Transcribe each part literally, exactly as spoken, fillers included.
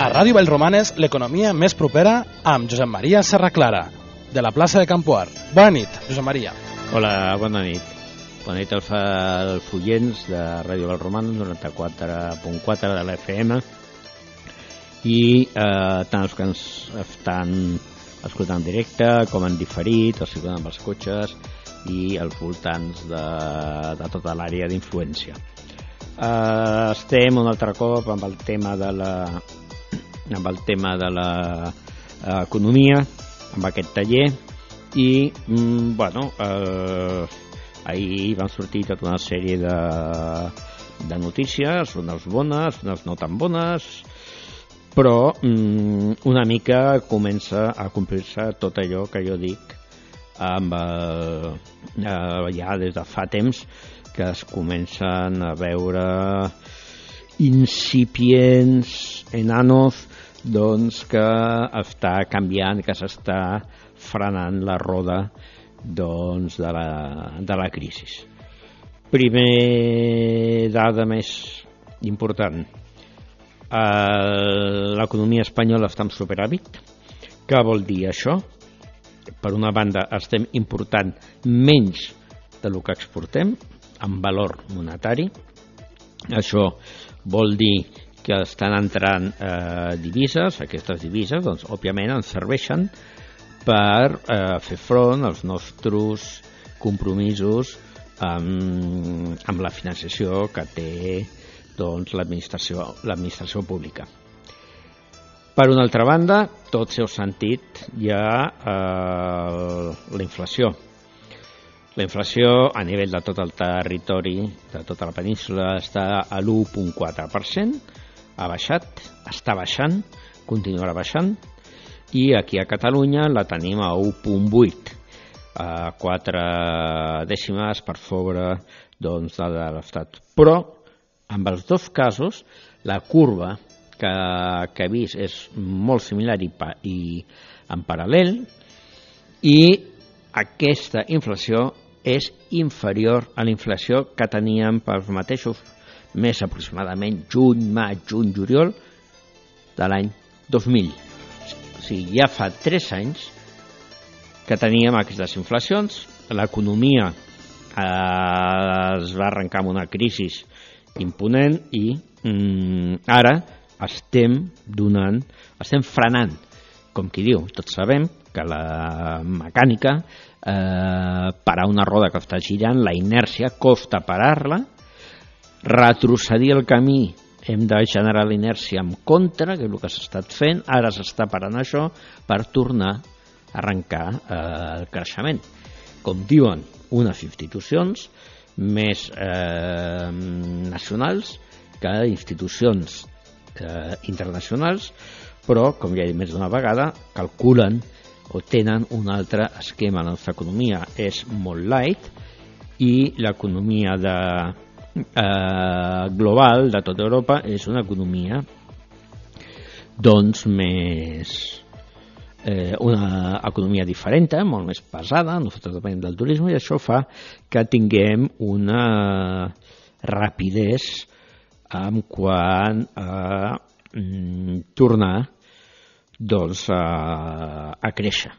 A Ràdio Vallromanes, l'economia més propera amb Josep Maria Serraclara, de la plaça de Campoar. Bona nit, Josep Maria. Hola, bona nit. Bona nit als els oients de Ràdio Vallromanes, noranta-quatre punt quatre de l'F M, i eh, tant els que ens estan escoltant en directe com en diferit, els que escolten amb els cotxes i als voltants de, de tota l'àrea d'influència. Uh, estem un altre cop amb el tema de la amb el tema de la uh, economia, amb aquest taller, i mm, bueno uh, ahir van sortir tota una sèrie de, de notícies, unes bones, unes no tan bones, però mm, una mica comença a complir-se tot allò que jo dic amb, uh, uh, ja des de fa temps, que es comencen a veure incipients, enanos, doncs que està canviant, que s'està frenant la roda doncs, de, la, de la crisi. Primer dada més important, l'economia espanyola està en superàvit. Què vol dir això? Per una banda, estem important menys del que exportem, en valor monetari. Això vol dir que estan entrant eh, divises. Aquestes divises, doncs, òbviament, ens serveixen per eh, fer front als nostres compromisos amb, amb la financiació que té doncs, l'administració, l'administració pública. Per una altra banda, tot seu sentit, hi ha eh, la inflació. La inflació a nivell de tot el territori, de tota la península, està a l'u coma quatre per cent, ha baixat, està baixant, continuarà baixant, i aquí a Catalunya la tenim a u coma vuit, a quatre dècimes per sobre doncs, de l'Estat. Però, en els dos casos, la curva que, que he vist és molt similar i, i en paral·lel, i aquesta inflació és inferior a la inflació que teníem pels mateixos més aproximadament juny, maig, juny, juliol de l'any dos mil. O sigui, ja fa tres anys que teníem aquestes inflacions, l'economia eh, es va arrencar amb una crisi imponent i mm, ara estem donant, estem frenant, com qui diu. Tots sabem que la mecànica, eh, parar una roda que està girant, la inèrcia costa parar-la, retrocedir el camí, hem de generar la inèrcia en contra, que és el que s'ha estat fent, ara s'està parant això per tornar a arrencar eh, el creixement. Com diuen unes institucions més eh, nacionals que institucions eh, internacionals, però, com ja he dit més d'una vegada, calculen o tenen un altre esquema. La nostra economia és molt light i l'economia de, eh, global de tota Europa és una economia doncs més eh, una economia diferent, molt més pesada. Nosaltres depenem del turisme i això fa que tinguem una rapidesa en quant a mm, tornar doncs a, a créixer.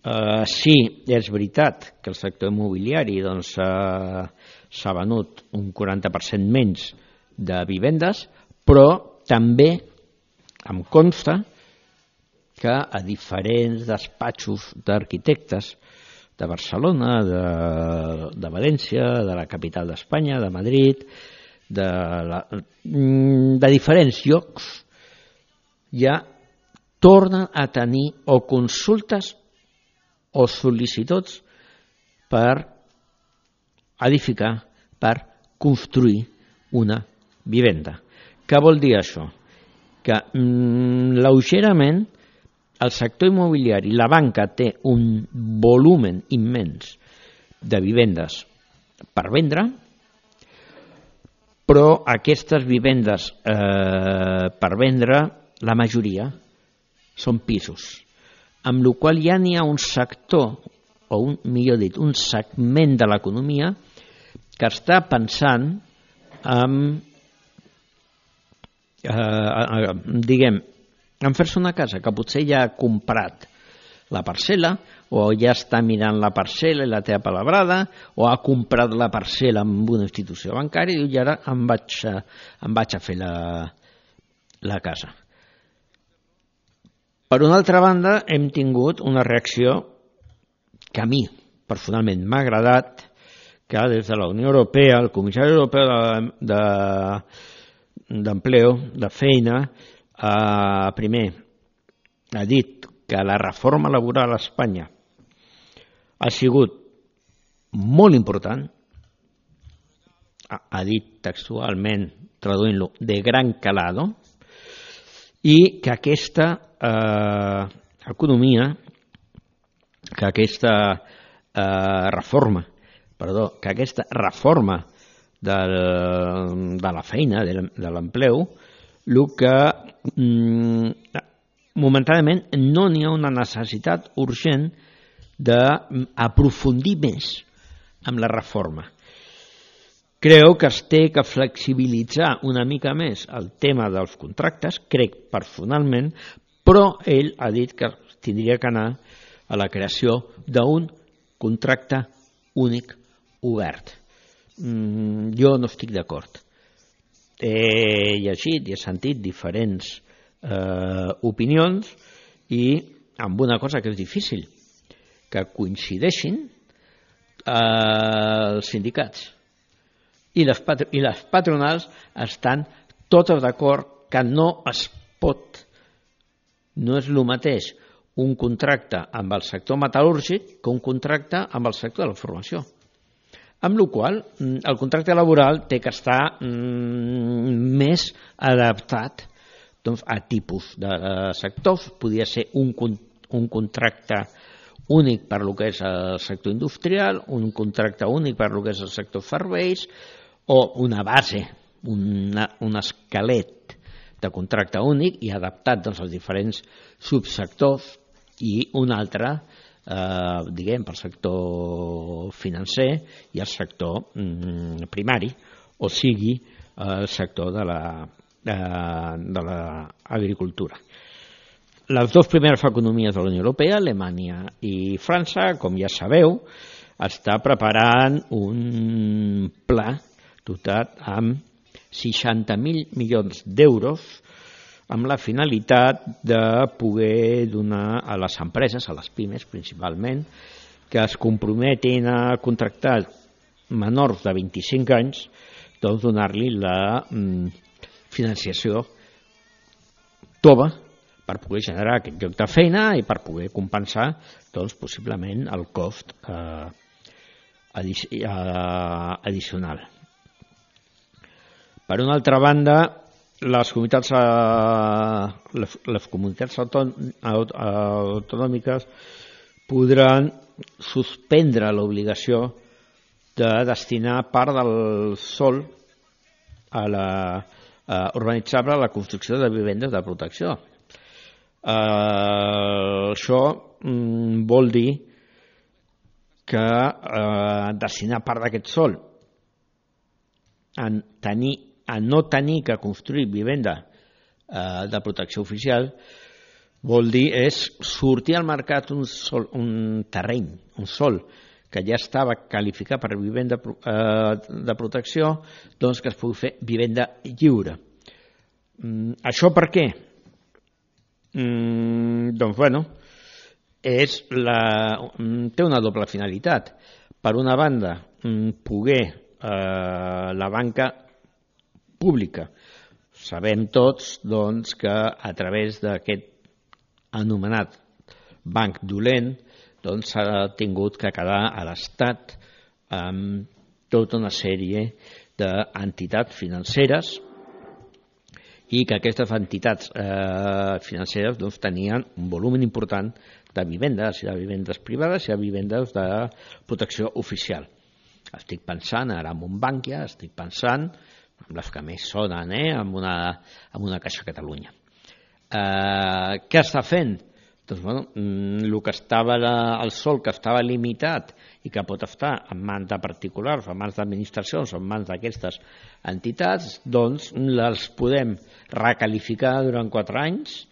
Uh, sí, és veritat que el sector immobiliari doncs, uh, s'ha venut un quaranta per cent menys de vivendes, però també em consta que a diferents despatxos d'arquitectes de Barcelona, de, de València, de la capital d'Espanya, de Madrid, de, la, de diferents llocs, ja tornen a tenir o consultes o sol·licituds per edificar, per construir una vivenda. Què vol dir això? Que mm, lleugerament el sector immobiliari, la banca té un volumen immens de vivendes per vendre, però aquestes vivendes eh, per vendre, la majoria són pisos, amb la qual ja n'hi ha un sector, o un, millor dit, un segment de l'economia que està pensant en eh, eh, diguem, en fer-se una casa que potser ja ha comprat la parcel·la, o ja està mirant la parcel·la i la té apalabrada, o ha comprat la parcel·la amb una institució bancària i diu, i ara em vaig a, em vaig a fer la, la casa. Per una altra banda, hem tingut una reacció que a mi personalment m'ha agradat, que des de la Unió Europea, el Comissari Europeu d'Empleo, de, de, de feina, eh, primer ha dit que la reforma laboral a Espanya ha sigut molt important, ha dit textualment, traduint-lo, de gran calado, i que aquesta eh, economia, que aquesta eh, reforma, perdó, que aquesta reforma del, de la feina, de l'empleo, el que mm, momentàniament no n'hi ha una necessitat urgent d'aprofundir més amb la reforma. Creu que es té que flexibilitzar una mica més el tema dels contractes, crec personalment, però ell ha dit que tindria que anar a la creació d'un contracte únic obert. Mm, jo no estic d'acord. He llegit i he sentit diferents eh, opinions i amb una cosa que és difícil, que coincideixin eh, els sindicats i les, patr i les patronals estan totes d'acord que no es pot, no és el mateix un contracte amb el sector metal·lúrgic que un contracte amb el sector de la formació. Amb la qual cosa, el contracte laboral té que estar mm, més adaptat doncs, a tipus de sectors. Podria ser un, un contracte únic per lo que és el sector industrial, un contracte únic per lo que és el sector serveis, o una base, una, un esquelet de contracte únic i adaptat doncs, als diferents subsectors, i un altre eh, diguem, pel sector financer i el sector mm, primari, o sigui, el sector de la, de, de l'agricultura. Les dues primeres economies de la Unió Europea, Alemanya i França, com ja sabeu, està preparant un pla dotat amb seixanta mil milions d'euros amb la finalitat de poder donar a les empreses, a les pimes principalment, que es comprometin a contractar menors de vint-i-cinc anys, doncs donar-li la mm, financiació tova per poder generar aquest lloc de feina i per poder compensar doncs, possiblement el cost eh, addi eh, addicional. Per una altra banda, les comunitats, eh, les, les comunitats autonòmiques podran suspendre l'obligació de destinar part del sòl a la, a urbanitzable a la construcció de vivendes de protecció. Uh, això mm, vol dir que uh, destinar part d'aquest sòl a, tenir, a no tenir que construir vivenda uh, de protecció oficial vol dir és sortir al mercat un, sol, un terreny, un sòl que ja estava qualificat per vivenda uh, de protecció, doncs que es pugui fer vivenda lliure. Mm, això per què? Mm, doncs, bueno, és la, té una doble finalitat. Per una banda, poder eh, la banca pública. Sabem tots doncs, que a través d'aquest anomenat banc dolent doncs, s'ha tingut que quedar a l'Estat amb tota una sèrie d'entitats financeres i que aquestes entitats eh, financeres doncs, tenien un volum important de vivendes, si de vivendes privades, si de vivendes de protecció oficial. Estic pensant ara en un Bankia, estic pensant en les que més sonen, eh, en, una, en una Caixa Catalunya. Eh, què està fent? Doncs, bueno, el que estava, el sòl que estava limitat i que pot estar en mans de particulars, en mans d'administracions o en mans d'aquestes entitats, doncs les podem recalificar durant quatre anys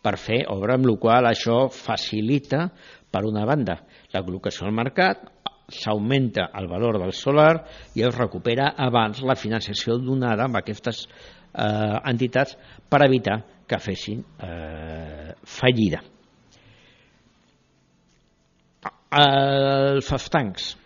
per fer obra, amb la qual cosa això facilita, per una banda, la col·locació al mercat, s'augmenta el valor del solar i es recupera abans la financiació donada amb aquestes eh, entitats per evitar que fessin eh, fallida. El Faftancs,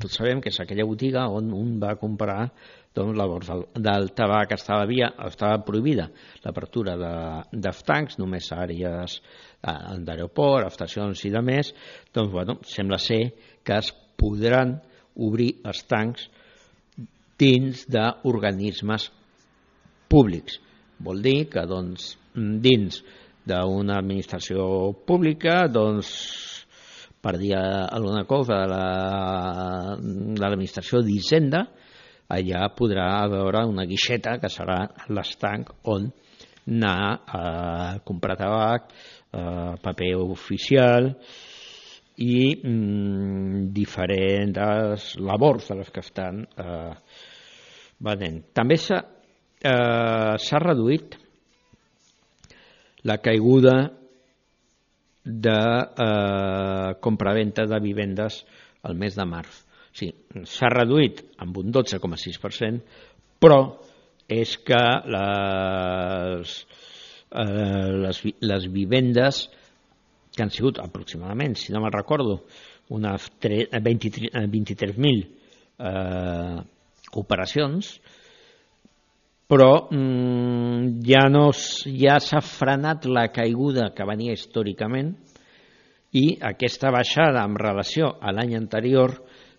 tots sabem que és aquella botiga on un va comprar doncs, la borsa del tabac. Estava, via, estava prohibida l'apertura de, de tancs, només a àrees d'aeroport, estacions i de més. Doncs, bueno, sembla ser que es podran obrir els tancs dins d'organismes públics. Vol dir que doncs, dins d'una administració pública, doncs, per dir alguna cosa de l'administració d'Hisenda, allà podrà haver una guixeta que serà l'estanc on anar a comprar tabac, eh, paper oficial i mm, diferents labors de les que estan eh, venent. També s'ha eh, reduït la caiguda de eh, compraventa de vivendes al mes de març. O sigui, s'ha reduït amb un dotze coma sis per cent, però és que les, eh, les, les vivendes que han sigut aproximadament, si no me'n recordo, unes vint-i-tres mil eh, operacions, però mm, ja, no, ja s'ha frenat la caiguda que venia històricament i aquesta baixada en relació a l'any anterior,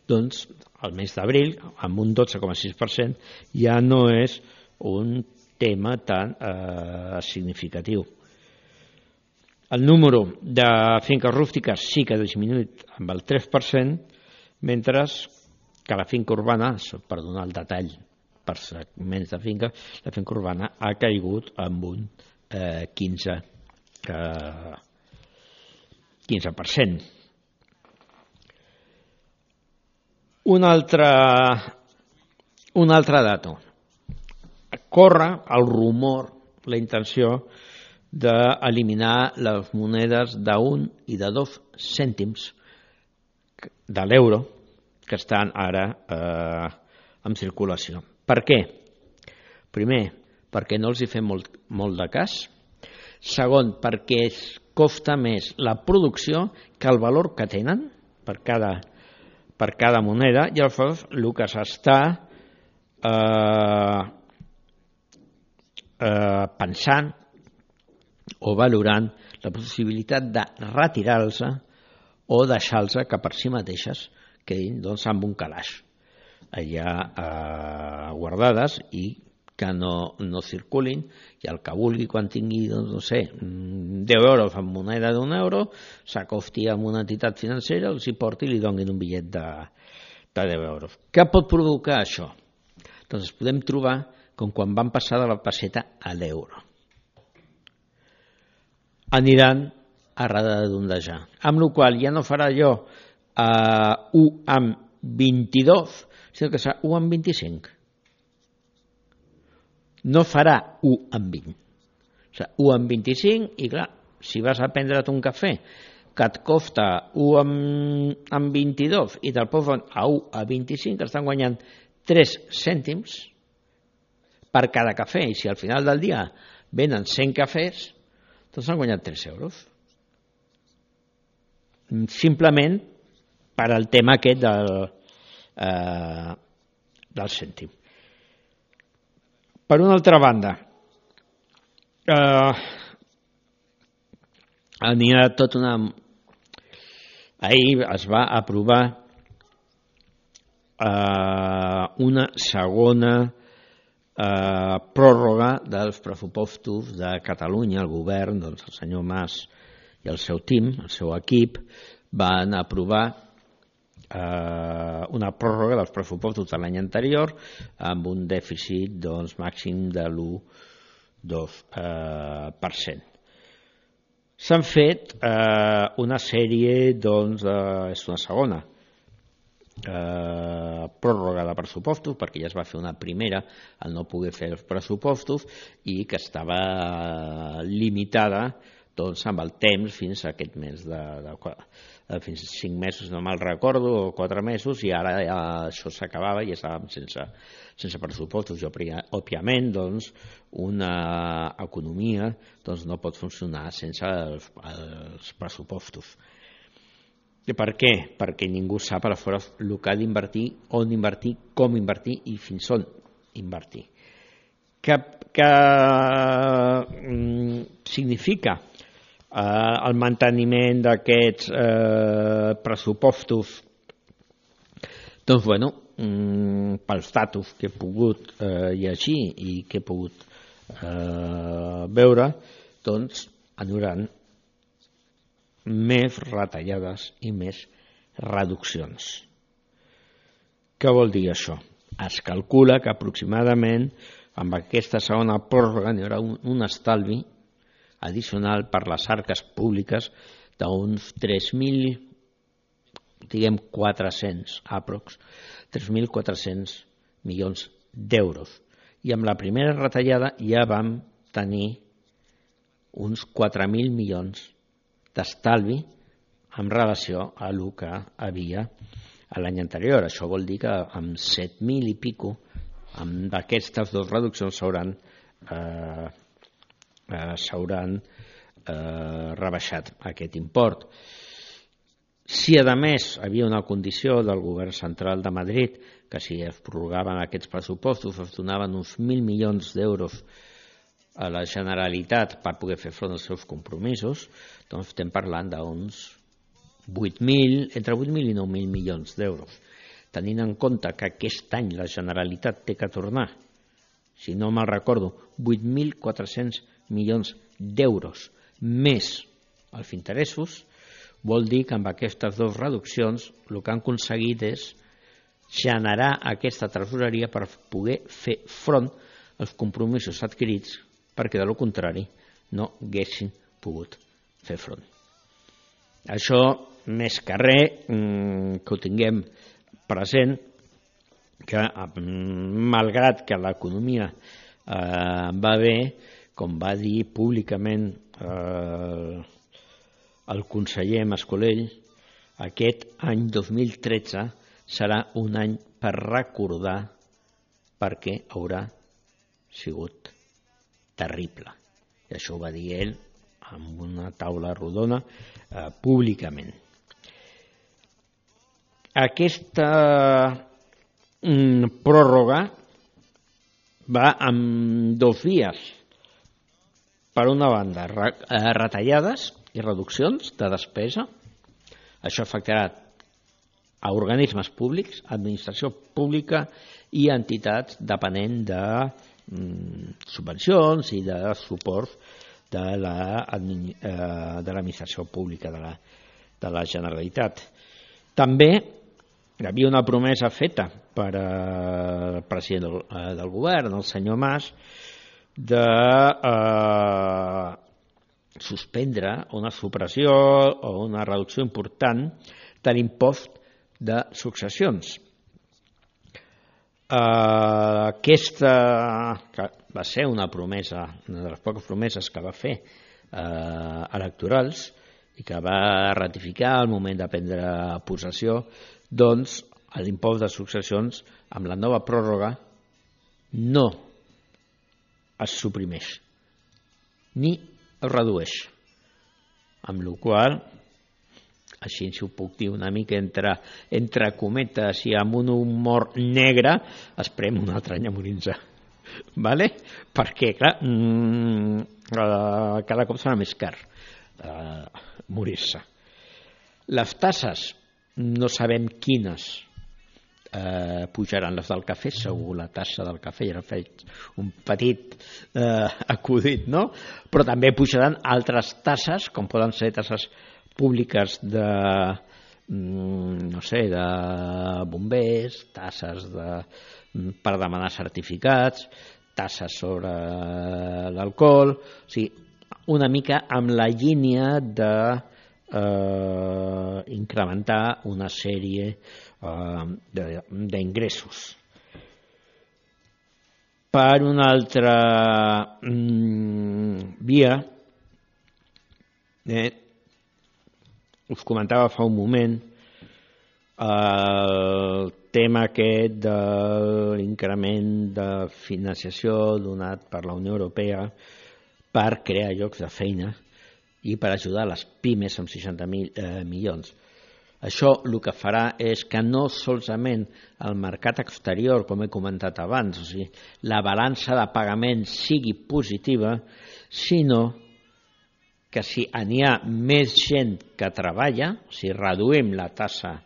doncs, al mes d'abril, amb un dotze coma sis per cent, ja no és un tema tan eh, significatiu. El número de finques rústiques sí que ha disminuït amb el tres per cent, mentre que la finca urbana, per donar el detall per segments de finca, la finca urbana ha caigut amb un eh, quinze per cent. Un altre, un altre dato. Corre el rumor, la intenció d'eliminar les monedes d'un i de dos cèntims de l'euro que estan ara eh, en circulació. Per què? Primer, perquè no els hi fem molt, molt de cas. Segon, perquè es costa més la producció que el valor que tenen per cada, per cada moneda, i aleshores el que s'està eh, eh, pensant o valorant la possibilitat de retirar-los o deixar-los que per si mateixes quedin doncs, amb un calaix allà eh, guardades i que no, no circulin, i el que vulgui quan tingui, doncs, no sé, deu euros en moneda d'un euro, s'acosti amb una entitat financera, els hi porti i li donin un bitllet de, de deu euros. Què pot provocar això? Doncs es podem trobar com quan van passar de la pesseta a l'euro. Aniran a redondejar, amb la qual ja no farà allò eh, u amb vint-i-dos, sinó que serà u amb vint-i-cinc. No farà u amb vint. O sigui, u amb vint-i-cinc, i clar, si vas a prendre't un cafè que et costa u amb, amb vint-i-dos i te'l posen a u a vint-i-cinc, estan guanyant tres cèntims per cada cafè, i si al final del dia venen cent cafès, doncs han guanyat tres euros. Simplement per al tema aquest del, eh, del cèntim. Per una altra banda, eh, anirà tot una... Ahir es va aprovar eh, una segona eh, pròrroga dels pressupostos de Catalunya. El govern, doncs, el senyor Mas i el seu team, el seu equip, van aprovar eh, una pròrroga dels pressupostos de l'any anterior amb un dèficit doncs, màxim de l'u coma dos per cent. S'han fet eh, una sèrie, doncs, eh, és una segona eh, pròrroga de pressupostos, perquè ja es va fer una primera al no poder fer els pressupostos i que estava limitada doncs, amb el temps fins a aquest mes de, de, de fins a cinc mesos, no me'l recordo, o quatre mesos, i ara ja això s'acabava i estàvem sense, sense pressupostos. I òbviament, doncs, una economia doncs, no pot funcionar sense els, els pressupostos. I per què? Perquè ningú sap a la fora el que ha d'invertir, on invertir, com invertir i fins on invertir. Que, que mm, significa eh, el manteniment d'aquests eh, pressupostos? Doncs, bueno, mm, pels datos que he pogut eh, llegir i que he pogut eh, veure, doncs aniran més retallades i més reduccions. Què vol dir això? Es calcula que aproximadament amb aquesta segona pròrroga hi haurà un, un estalvi addicional per les arques públiques d'uns tres mil, diguem quatre-cents aprox, tres mil quatre-cents milions d'euros. I amb la primera retallada ja vam tenir uns quatre mil milions d'estalvi en relació a el que havia l'any anterior. Això vol dir que amb set mil i pico, amb aquestes dues reduccions s'hauran eh, eh, s'hauran eh, rebaixat aquest import. Si a més havia una condició del govern central de Madrid que si es prorrogaven aquests pressupostos es donaven uns mil milions d'euros a la Generalitat per poder fer front als seus compromisos, doncs estem parlant d'uns vuit mil, entre vuit mil i nou mil milions d'euros. Tenint en compte que aquest any la Generalitat té que tornar, si no me'l recordo, vuit mil quatre-cents milions d'euros més els interessos, vol dir que amb aquestes dues reduccions el que han aconseguit és generar aquesta tresoreria per poder fer front als compromisos adquirits, perquè de lo contrari no haguessin pogut fer front. Això, més que res, que ho tinguem present, que malgrat que l'economia eh, va bé, com va dir públicament eh, el conseller Mascolell, aquest any dos mil tretze serà un any per recordar perquè haurà sigut terrible. I això ho va dir ell en una taula rodona eh, públicament. Aquesta mm, pròrroga va amb dos vies. Per una banda, retallades i reduccions de despesa. Això afectarà a organismes públics, administració pública i entitats depenent de mm, subvencions i de suport de l'administració pública de la, de la Generalitat. També hi havia una promesa feta per al president del, del govern, el senyor Mas, de eh, suspendre una supressió o una reducció important de l'impost de successions. Uh, aquesta que va ser una promesa, una de les poques promeses que va fer uh, electorals i que va ratificar al moment de prendre possessió, doncs l'impost de successions amb la nova pròrroga no es suprimeix ni es redueix, amb la qual cosa, així si ho puc dir una mica entre, entre cometes i amb un humor negre, esperem un altre any a morir-nos. Vale? Perquè, clar, mmm, cada cop serà més car eh, morir-se. Les tasses, no sabem quines eh, pujaran. Les del cafè, segur la tassa del cafè, ja he fet un petit eh, acudit, no? Però també pujaran altres tasses, com poden ser tasses públiques de, no sé, de bombers, tasses de, per demanar certificats, tasses sobre l'alcohol, o sigui, una mica amb la línia de eh, incrementar una sèrie eh, d'ingressos. Per una altra mm, via, eh, us comentava fa un moment el tema aquest de l'increment de financiació donat per la Unió Europea per crear llocs de feina i per ajudar les pimes amb seixanta mil eh, milions. Això el que farà és que no solament el mercat exterior, com he comentat abans, o sigui, la balança de pagament sigui positiva, sinó que si n'hi ha més gent que treballa, si reduïm la tassa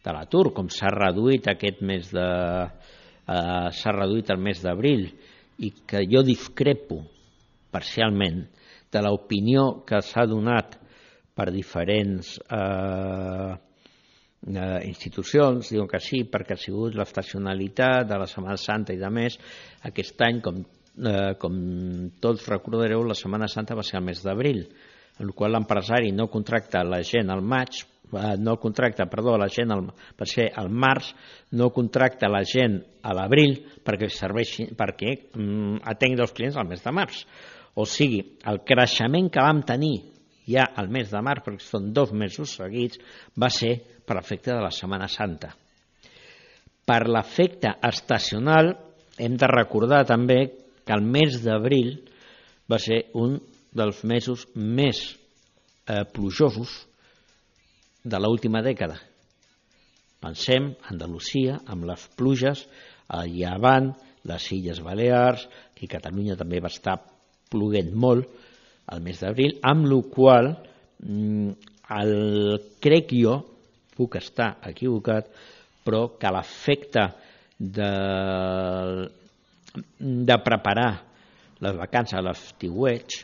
de l'atur, com s'ha reduït aquest mes de eh, s'ha reduït el mes d'abril, i que jo discrepo parcialment de l'opinió que s'ha donat per diferents eh, eh, institucions, diuen que sí, perquè ha sigut l'estacionalitat de la Setmana Santa i de més. Aquest any, com, eh, com tots recordareu, la Setmana Santa va ser el mes d'abril, en el qual l'empresari no contracta la gent al maig, eh, no contracta, perdó, la gent al, per ser al març, no contracta la gent a l'abril perquè serveixi, perquè mm, atengui els clients al mes de març. O sigui, el creixement que vam tenir ja al mes de març, perquè són dos mesos seguits, va ser per l'efecte de la Setmana Santa. Per l'efecte estacional, hem de recordar també que el mes d'abril va ser un dels mesos més eh, plujosos de l'última dècada. Pensem a Andalusia, amb les pluges, a Llevant, les Illes Balears, i Catalunya també va estar ploguent molt al mes d'abril, amb la qual el, crec jo, puc estar equivocat, però que l'efecte de, de preparar les vacances a l'estiueig,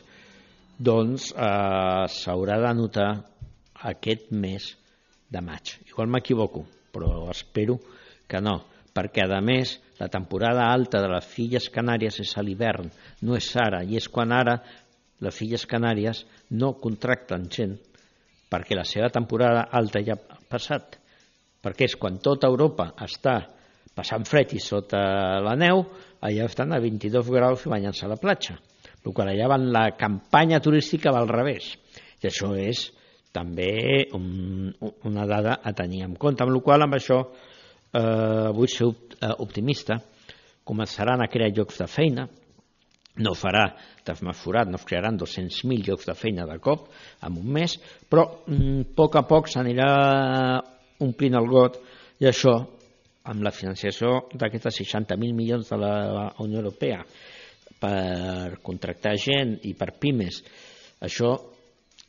doncs eh, s'haurà de notar aquest mes de maig. Igual m'equivoco, però espero que no, perquè a més la temporada alta de les Illes Canàries és a l'hivern, no és ara, i és quan ara les Illes Canàries no contracten gent, perquè la seva temporada alta ja ha passat, perquè és quan tota Europa està passant fred i sota la neu, allà estan a vint-i-dos graus i banyant-se a la platja, el qual allà van, la campanya turística va al revés, i això és també un, una dada a tenir en compte, amb la qual amb això eh, vull ser optimista, començaran a crear llocs de feina, no farà desmesurat, no es crearan dos-cents mil llocs de feina de cop en un mes, però a poc a poc s'anirà omplint el got, i això, amb la financiació d'aquests seixanta mil milions de la Unió Europea per contractar gent i per pimes, això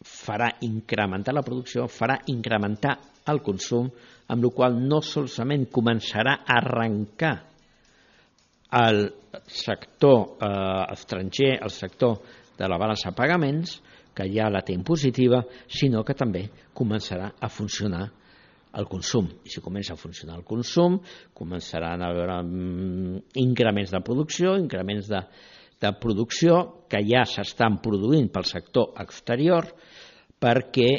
farà incrementar la producció, farà incrementar el consum, amb la qual no solament començarà a arrencar el sector eh, estranger, el sector de la balança de pagaments, que ja la té impositiva, sinó que també començarà a funcionar el consum. I si comença a funcionar el consum, començaran a haver increments de producció, increments de, de producció que ja s'estan produint pel sector exterior, perquè,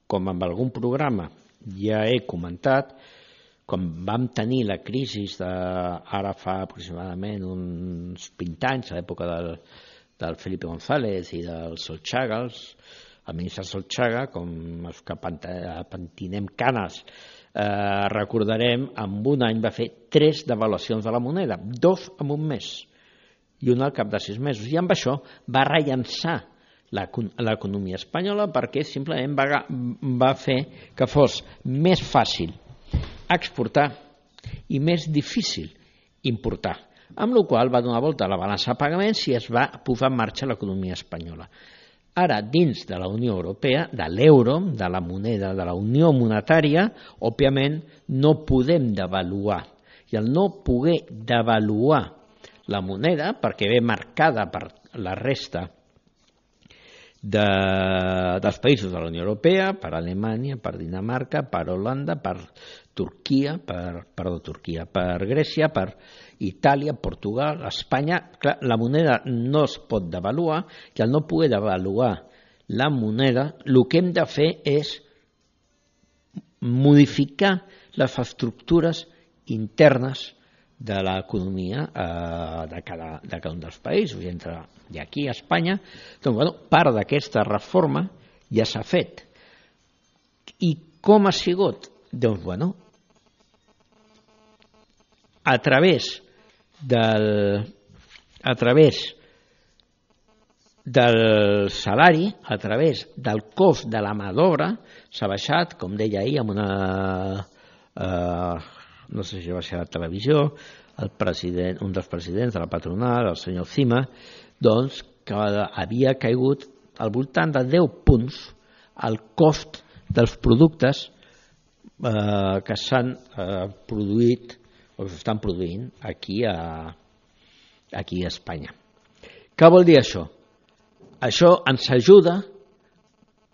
com en algun programa ja he comentat, com vam tenir la crisi de, ara fa aproximadament uns vint anys, a l'època del, del Felipe González i del Solchaga, el ministre Solchaga, com els que pentinem canes, eh, recordarem, en un any va fer tres devaluacions de la moneda, dos en un mes, i una al cap de sis mesos. I amb això va rellançar l'economia espanyola perquè simplement va, va fer que fos més fàcil exportar i més difícil importar, amb la qual va donar volta a la balança de pagaments i es va posar en marxa l'economia espanyola. Ara, dins de la Unió Europea, de l'euro, de la moneda, de la Unió Monetària, òbviament no podem devaluar. I el no poder devaluar la moneda, perquè ve marcada per la resta de, dels països de la Unió Europea, per Alemanya, per Dinamarca, per Holanda, per Turquia, per, perdó, Turquia, per Grècia, per Itàlia, Portugal, Espanya. Clar, la moneda no es pot devaluar, i al no poder devaluar la moneda, el que hem de fer és modificar les estructures internes de l'economia eh, de, cada, de cada un dels països. I entre i aquí a Espanya, doncs, bueno, part d'aquesta reforma ja s'ha fet. I com ha sigut? Doncs, bueno, a través del, a través del salari, a través del cost de la mà d'obra, s'ha baixat, com deia ahir, amb una... Eh, no sé si va ser a la televisió, el president, un dels presidents de la patronal, el senyor Cima, doncs, que havia caigut al voltant de deu punts el cost dels productes eh, que s'han eh, produït o que s'estan produint aquí a, aquí a Espanya. Què vol dir això? Això ens ajuda,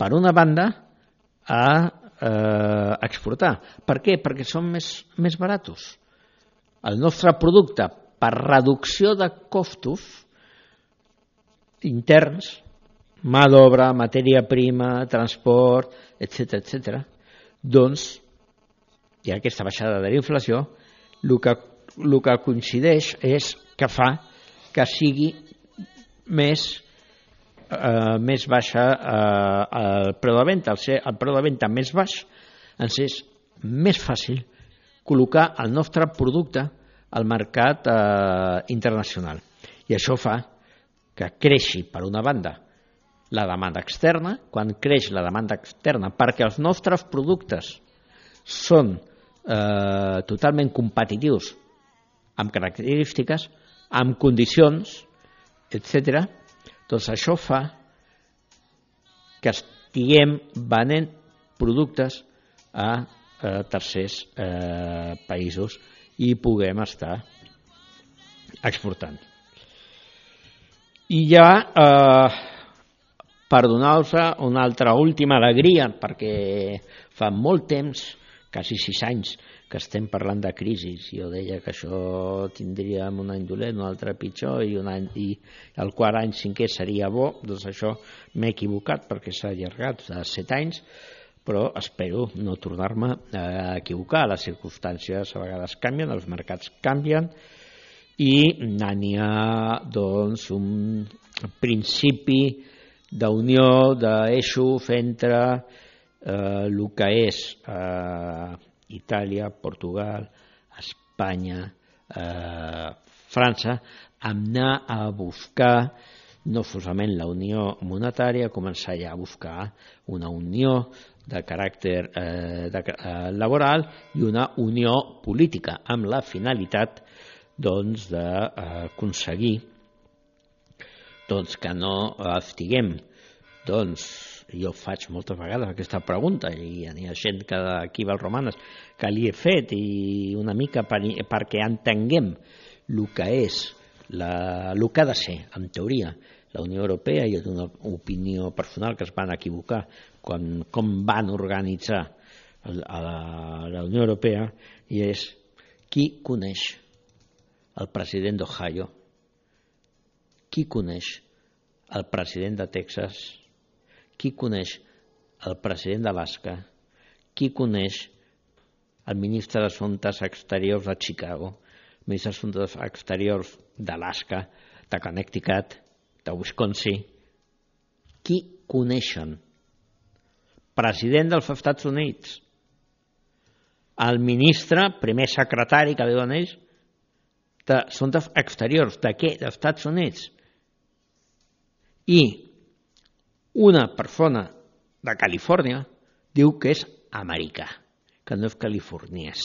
per una banda, a eh, exportar. Per què? Perquè són més, més baratos. El nostre producte, per reducció de costos interns, mà d'obra, matèria prima, transport, etcètera, etcètera, doncs hi ha aquesta baixada de la inflació. El que, el que coincideix és que fa que sigui més, eh, més baixa eh, el preu de venda. Al ser el preu de venda més baix, ens és més fàcil col·locar el nostre producte al mercat eh, internacional. I això fa que creixi, per una banda, la demanda externa. Quan creix la demanda externa, perquè els nostres productes són eh, totalment competitius, amb característiques, amb condicions, etcètera, doncs això fa que estiguem venent productes a eh, tercers eh, països i puguem estar exportant. I ja, eh, per donar-vos una altra última alegria, perquè fa molt temps, quasi sis anys, que estem parlant de crisi. Jo deia que això tindríem un any dolent, un altre pitjor, i, un any, i el quart any cinquè seria bo. Doncs això m'he equivocat, perquè s'ha allargat a set anys, però espero no tornar-me a equivocar. Les circumstàncies a vegades canvien, els mercats canvien, i n'hi ha doncs, un principi d'unió, d'eixos entre eh, el que és eh, Itàlia, Portugal, Espanya, eh, França, anar a buscar no solament la unió monetària, començar ja a buscar una unió de caràcter eh, de, eh, laboral i una unió política, amb la finalitat doncs, d'aconseguir doncs, que no estiguem, doncs, jo faig moltes vegades aquesta pregunta, i hi ha gent que d'aquí val romanes que li he fet, i una mica per, perquè entenguem el que és, la, el que ha de ser, en teoria, la Unió Europea. I és una opinió personal que es van equivocar quan, com van organitzar a la, la Unió Europea, i és qui coneix el president d'Ohio, qui coneix el president de Texas, qui coneix el president d'Alaska, qui coneix el ministre d'Assumptes Exteriors de Chicago, el ministre d'Assumptes Exteriors d'Alaska, de Connecticut, de Wisconsin. Qui coneixen? President dels Estats Units, el ministre, primer secretari que diuen ells, d'Assumptes Exteriors, de què? Dels Estats Units. I una persona de Califòrnia diu que és americà, que no és californiès.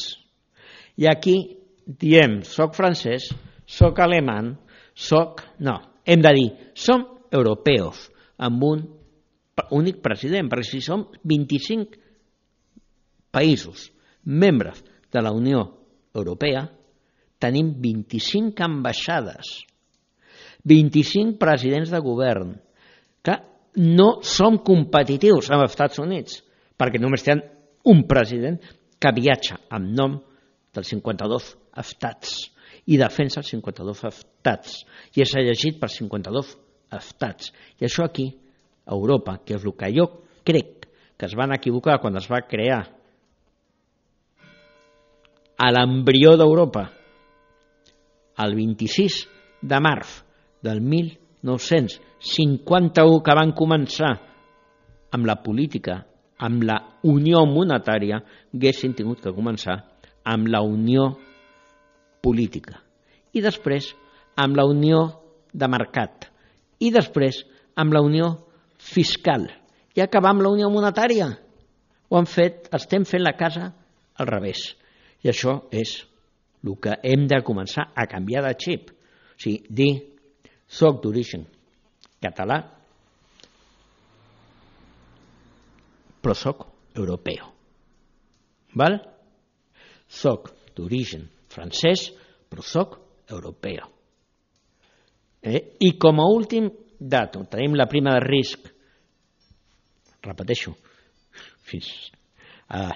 I aquí diem, soc francès, soc alemany, soc... No, hem de dir, som europeus, amb un únic president, perquè si som vint-i-cinc països membres de la Unió Europea, tenim vint-i-cinc ambaixades, vint-i-cinc presidents de govern. Clar, no som competitius amb els Estats Units, perquè només tenen un president que viatja amb nom dels cinquanta-dos estats i defensa els cinquanta-dos estats i és elegit per cinquanta-dos estats. I això aquí, a Europa, que és el que jo crec que es van equivocar quan es va crear a l'embrió d'Europa el vint-i-sis de març del mil nou-cents cinquanta-u, que van començar amb la política, amb la unió monetària, haguessin tingut que començar amb la unió política i després amb la unió de mercat i després amb la unió fiscal i acabar amb la unió monetària. Ho han fet, estem fent la casa al revés. I això és el que hem de començar a canviar de xip. O sigui, dir, soc d'origen català, però soc europeu. Val? Soc d'origen francès, però soc europeu. Eh? I com a últim dato, tenim la prima de risc, repeteixo, fins a,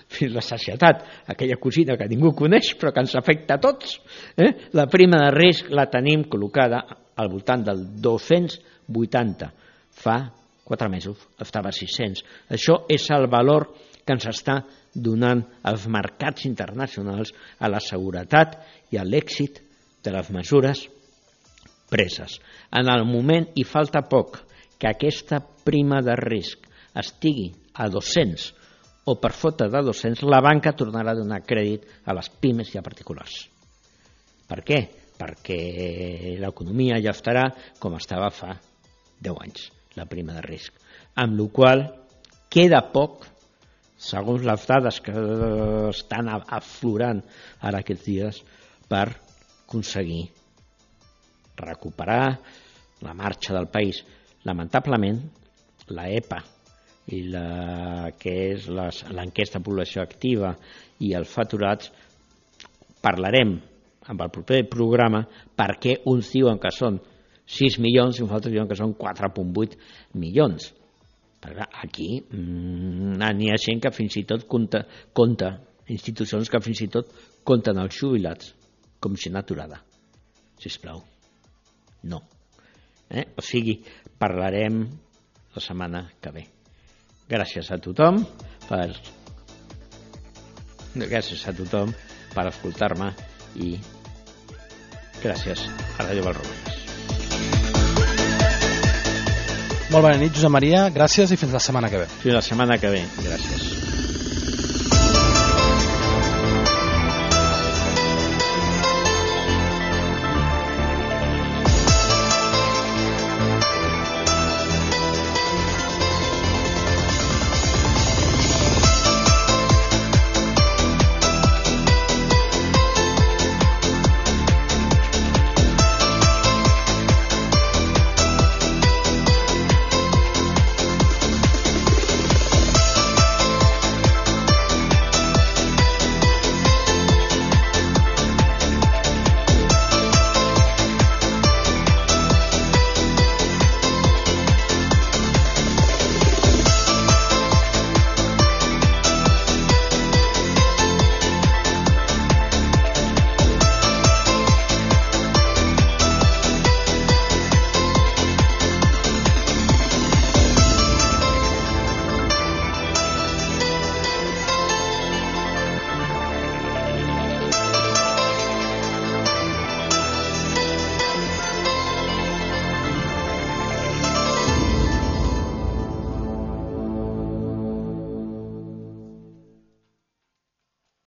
fins la societat, aquella cosina que ningú coneix però que ens afecta a tots, eh? La prima de risc la tenim col·locada al voltant del dos-cents vuitanta. Fa quatre mesos estava a sis-cents. Això és el valor que ens està donant els mercats internacionals a la seguretat i a l'èxit de les mesures preses. En el moment, i falta poc, que aquesta prima de risc estigui a dos-cents o per sota de dos-cents, la banca tornarà a donar crèdit a les pimes i a particulars. Per què? Perquè l'economia ja estarà com estava fa deu anys, la prima de risc. Amb la qual cosa queda poc, segons les dades que estan aflorant ara aquests dies, per aconseguir recuperar la marxa del país. Lamentablement, la E P A i la que és l'enquesta de població activa i els faturats, parlarem amb el proper programa perquè uns diuen que són sis milions i uns altres diuen que són quatre coma vuit milions. Perquè aquí mmm, n'hi ha gent que fins i tot compta, compta, institucions que fins i tot compten els jubilats com gent aturada. Sisplau, no. Eh? O sigui, parlarem la setmana que ve. Gràcies a tothom per gràcies a tothom per escoltar-me i gràcies a Ràdio Valromanes. Molt bona nit, Josep Maria, gràcies i fins la setmana que ve. Fins la setmana que ve, gràcies.